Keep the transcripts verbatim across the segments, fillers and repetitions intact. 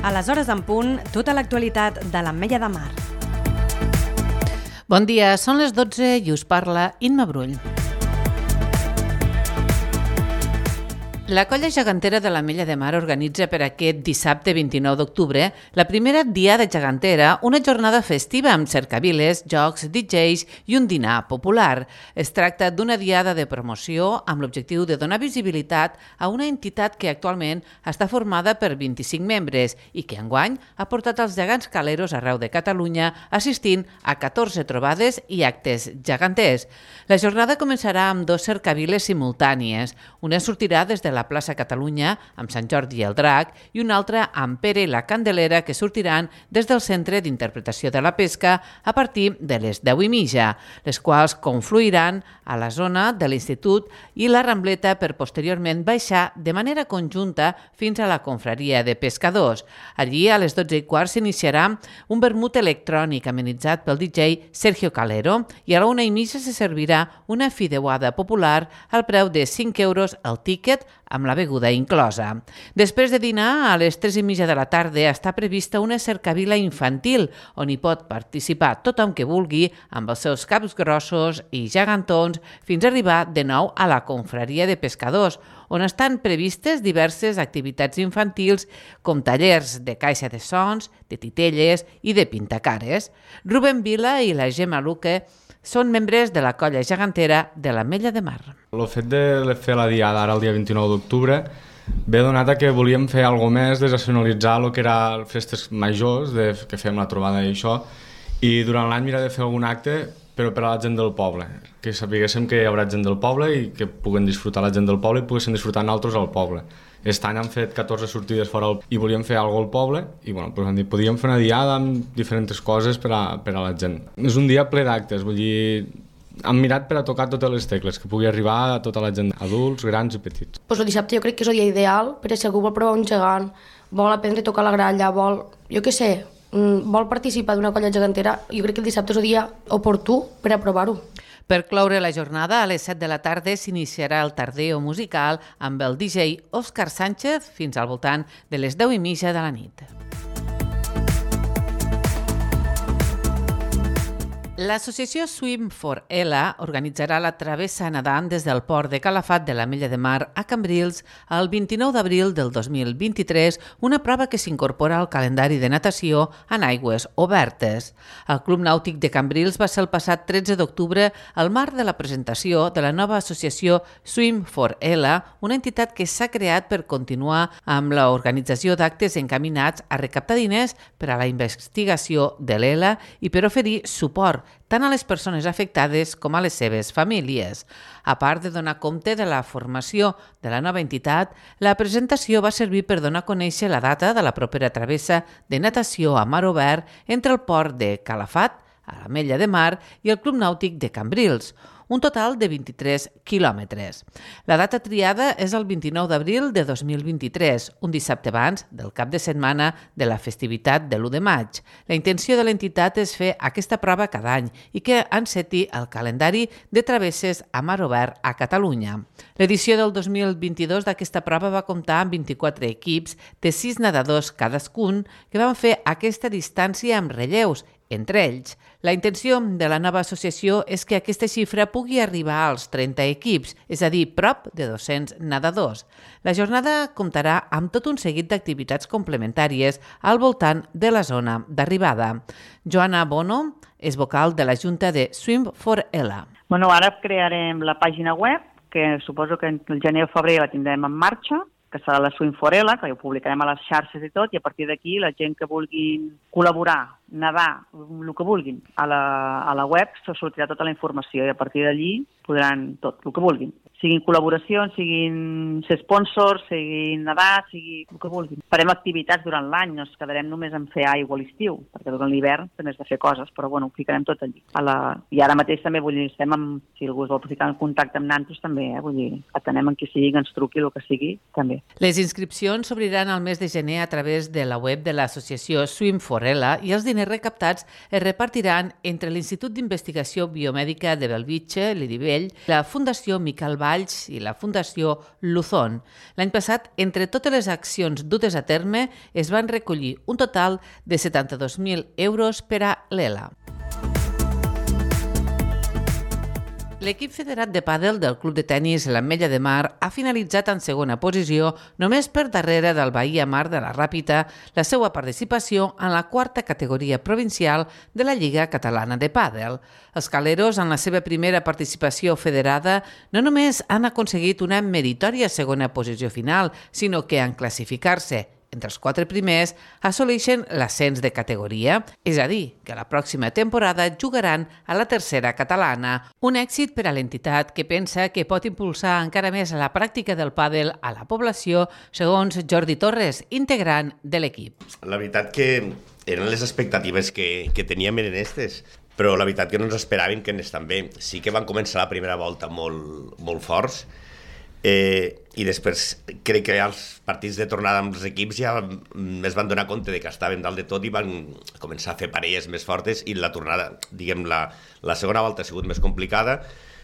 A les hores en punt, tota l'actualitat de l'Ametlla de Mar. Bon dia, són les dotze i us parla Imma Brull. La Colla Gegantera de l'Ametlla de Mar organitza per aquest dissabte vint-i-nou d'octubre la primera Diada Gegantera, una jornada festiva amb cercaviles, jocs, D Js i un dinar popular. Es tracta d'una diada de promoció amb l'objectiu de donar visibilitat a una entitat que actualment està formada per vint-i-cinc membres i que enguany ha portat els gegants caleros arreu de Catalunya assistint a catorze trobades i actes geganters. La jornada començarà amb dos cercaviles simultànies. Una sortirà des de la plaça Catalunya amb Sant Jordi i el Drac i una altra amb Pere i la Candelera que sortiran des del Centre d'Interpretació de la Pesca a partir de les deu i mitja, les quals confluiran a la zona de l'Institut i la Rambleta per posteriorment baixar de manera conjunta fins a la confraria de pescadors. Allí a les dotze i quart s'iniciarà un vermut electrònic amenitzat pel D J Sergio Calero i a la una i mitja se servirà una fideuada popular al preu de cinc euros el tíquet amb la beguda inclosa. Després de dinar, a les tres i mitja de la tarda està prevista una cercavila infantil on hi pot participar tothom que vulgui amb els seus caps grossos i gegantons fins a arribar de nou a la confraria de pescadors, on estan previstes diverses activitats infantils com tallers de caixa de sons, de titelles i de pintacares. Rubén Vila i la Gemma Luque són membres de la Colla Gegantera de l'Ametlla de Mar. El fet de fer la diada ara el dia vint-i-nou d'octubre ve donat a que volíem fer alguna més, desnacionalitzar el que era festes majors, de, que fèiem la trobada i això, i durant l'any mirar de fer algun acte però per a la gent del poble, que sapiguéssim que hi haurà gent del poble i que puguen disfrutar la gent del poble i poguessin disfrutar nosaltres al poble. Aquest any hem fet catorze sortides fora el... i volíem fer alguna cosa al poble i bueno, doncs hem dit, podíem fer una diada amb diferents coses per a, per a la gent. És un dia ple d'actes, vull dir, hem mirat per a tocar totes les tecles, que pugui arribar a tota la gent, adults, grans i petits. Pues el dissabte jo crec que és el dia ideal, perquè si algú vol provar un gegant, vol aprendre a tocar la gralla, vol, jo què sé, vol participar d'una colla gegantera, jo crec que el dissabte és el dia oportú per a provar-ho. Per cloure la jornada, a les set de la tarda s'iniciarà el tardeo musical amb el D J Òscar Sánchez fins al voltant de les deu i mitja de la nit. L'associació Swim for Ella organitzarà la travessa nedant des del port de Calafat de l'Ametlla de Mar a Cambrils el vint-i-nou d'abril del dos mil vint-i-tres, una prova que s'incorpora al calendari de natació en aigües obertes. El Club Nàutic de Cambrils va ser el passat tretze d'octubre al marc de la presentació de la nova associació Swim for Ella, una entitat que s'ha creat per continuar amb l'organització d'actes encaminats a recaptar diners per a la investigació de l'Ela i per oferir suport tant a les persones afectades com a les seves famílies. A part de donar compte de la formació de la nova entitat, la presentació va servir per donar a conèixer la data de la propera travessa de natació a mar obert entre el port de Calafat, a l'Ametlla de Mar, i el Club Nàutic de Cambrils, un total de vint-i-tres quilòmetres. La data triada és el vint-i-nou d'abril de dos mil vint-i-tres, un dissabte abans del cap de setmana de la festivitat de l'u de maig. La intenció de l'entitat és fer aquesta prova cada any i que enceti el calendari de travesses a mar obert a Catalunya. L'edició del dos mil vint-i-dos d'aquesta prova va comptar amb vint-i-quatre equips de sis nedadors cadascun que van fer aquesta distància amb relleus, entre ells. La intenció de la nova associació és que aquesta xifra pugui arribar als trenta equips, és a dir, prop de dos-cents nedadors. La jornada comptarà amb tot un seguit d'activitats complementàries al voltant de la zona d'arribada. Joana Bono és vocal de la Junta de Swim for Ella. Bueno, ara crearem la pàgina web, que suposo que el gener o febrer la tindrem en marxa, que serà la Swim for Ella, que ho publicarem a les xarxes i tot, i a partir d'aquí la gent que vulgui col·laborar, nedar, el que vulguin, a la, a la web se sortirà tota la informació i a partir d'allí podran tot, el que vulguin. Siguin col·laboracions, siguin ser sponsors, siguin nedar, sigui el que vulguin. Farem activitats durant l'any, no ens quedarem només en fer aigua a l'estiu, perquè durant l'hivern també has de fer coses, però bueno, ho ficarem tot allí. A la... I ara mateix també, vull dir, estem amb, si algú es vol ficar en contacte amb nantos també, eh? Vull dir, atenem en qui sigui, que ens truqui, el que sigui, també. Les inscripcions s'obriran al mes de gener a través de la web de l'associació Swim for Ella i els diners recaptats es repartiran entre l'Institut d'Investigació Biomèdica de Bellvitge, l'Iribell, la Fundació Miquel Bar Valls i la Fundació Luzón. L'any passat, entre totes les accions dutes a terme, es van recollir un total de setanta-dos mil euros per a l'Ela. L'equip federat de pàdel del Club de Tenis l'Ametlla de Mar ha finalitzat en segona posició, només per darrere del Bahia Mar de la Ràpita, la seva participació en la quarta categoria provincial de la Lliga Catalana de Pàdel. Els caleros, en la seva primera participació federada, no només han aconseguit una meritòria segona posició final, sinó que en classificar-se entre els quatre primers assoleixen l'ascens de categoria, és a dir, que la pròxima temporada jugaran a la tercera catalana. Un èxit per a l'entitat que pensa que pot impulsar encara més la pràctica del pàdel a la població, segons Jordi Torres, integrant de l'equip. La veritat que eren les expectatives que, que teníem en aquestes, però la veritat que no ens esperàvem que anés tan bé. Sí que van començar la primera volta molt, molt forts, Eh, i després crec que els partits de tornada amb els equips ja es van donar compte de que estaven dalt de tot i van començar a fer parelles més fortes, i la tornada, diguem, la, la segona volta ha sigut més complicada,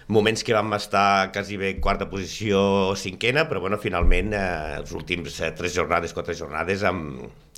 moments que vam estar quasi bé quarta posició o cinquena, però bueno, finalment eh, els últims eh, tres jornades, quatre jornades hem,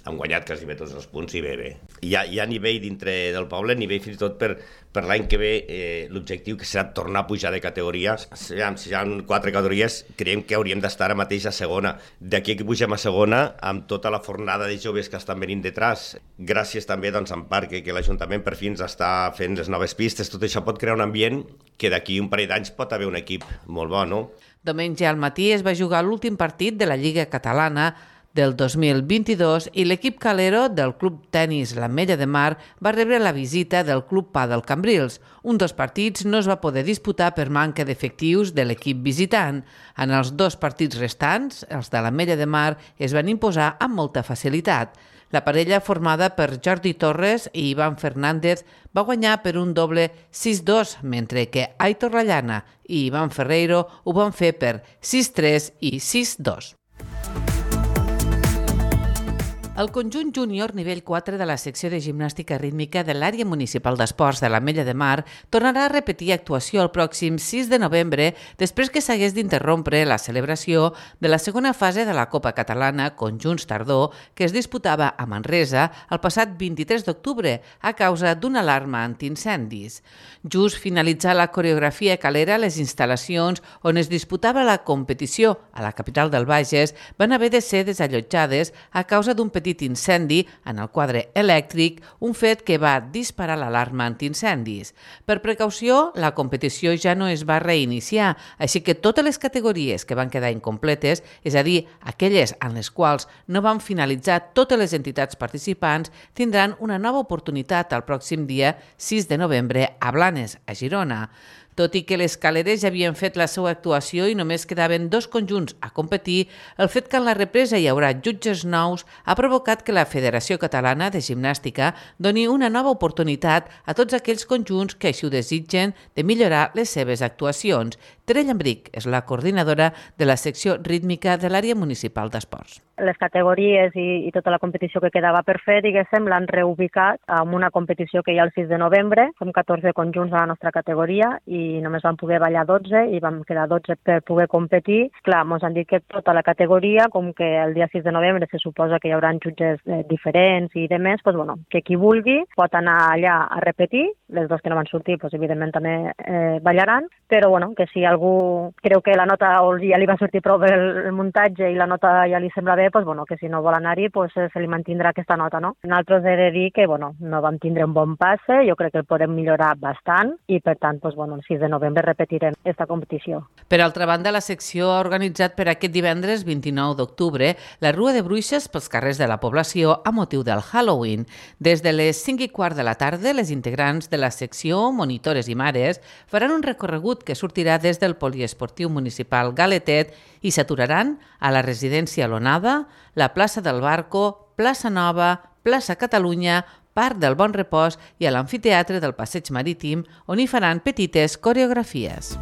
hem guanyat quasi bé tots els punts i bé, bé. Hi ha, hi ha nivell dintre del poble, nivell fins i tot per, per l'any que ve, eh, l'objectiu que serà tornar a pujar de categoria. Si hi ha, si hi ha quatre categories, creiem que hauríem d'estar ara mateix a segona. D'aquí que pugem a segona, amb tota la fornada de joves que estan venint detrás, gràcies també doncs, en part que, que l'Ajuntament per fi ens està fent les noves pistes, tot això pot crear un ambient que d'aquí un parell d'anys pot haver un equip molt bo, no? Diumenge al matí es va jugar l'últim partit de la Lliga Catalana del dos mil vint-i-dos i l'equip calero del Club Tenis l'Ametlla de Mar va rebre la visita del Club Pàdel Cambrils. Un dels partits no es va poder disputar per manca d'efectius de l'equip visitant. En els dos partits restants, els de l'Ametlla de Mar es van imposar amb molta facilitat. La parella, formada per Jordi Torres i Ivan Fernández, va guanyar per un doble sis dos, mentre que Aitor Lallana i Ivan Ferreiro ho van fer per sis tres i sis dos. El conjunt júnior nivell quatre de la secció de gimnàstica rítmica de l'àrea municipal d'esports de l'Ametlla de Mar tornarà a repetir actuació el pròxim sis de novembre després que s'hagués d'interrompre la celebració de la segona fase de la Copa Catalana Conjunts Tardor que es disputava a Manresa el passat vint-i-tres d'octubre a causa d'una alarma antiincendis. Just finalitzar la coreografia calera, les instal·lacions on es disputava la competició a la capital del Bages van haver de ser desallotjades a causa d'un petit petit incendi en el quadre elèctric, un fet que va disparar l'alarma antiincendis. Per precaució, la competició ja no es va reiniciar, així que totes les categories que van quedar incompletes, és a dir, aquelles en les quals no van finalitzar totes les entitats participants, tindran una nova oportunitat el pròxim dia sis de novembre a Blanes, a Girona. Tot i que les caleres ja havien fet la seva actuació i només quedaven dos conjunts a competir, el fet que en la represa hi haurà jutges nous ha provocat que la Federació Catalana de Gimnàstica doni una nova oportunitat a tots aquells conjunts que així ho desitgen de millorar les seves actuacions. Tere Llambric és la coordinadora de la secció rítmica de l'àrea municipal d'esports. Les categories i, i tota la competició que quedava per fer, diguéssim, l'han reubicat en una competició que hi ha el sis de novembre. Som catorze conjunts a la nostra categoria i només vam poder ballar dotze i vam quedar dotze per poder competir. Clar, ens han dit que tota la categoria, com que el dia sis de novembre se suposa que hi haurà jutges eh, diferents i demés, doncs, bueno, que qui vulgui pot anar allà a repetir. Les dos que no van sortir, doncs, evidentment també eh, ballaran, però bueno, que si algú creu que la nota o ja li va sortir prou el, el muntatge i la nota ja li sembla bé, pues, bueno, que si no vol anar-hi pues, se li mantindrà aquesta nota. No? Nosaltres he de dir que bueno, no vam tindre un bon passe, jo crec que el podem millorar bastant i per tant pues, bueno, el sis de novembre repetirem aquesta competició. Per altra banda, la secció ha organitzat per aquest divendres vint-i-nou d'octubre la Rua de Bruixes pels carrers de la població a motiu del Halloween. Des de les cinc i quart de la tarda, les integrants de la secció, monitores i mares, faran un recorregut que sortirà des del poliesportiu municipal Galetet i s'aturaran a la residència L'Onada, la plaça del Barco, plaça Nova, plaça Catalunya, Parc del Bon Repòs i a l'amfiteatre del Passeig Marítim, on hi faran petites coreografies.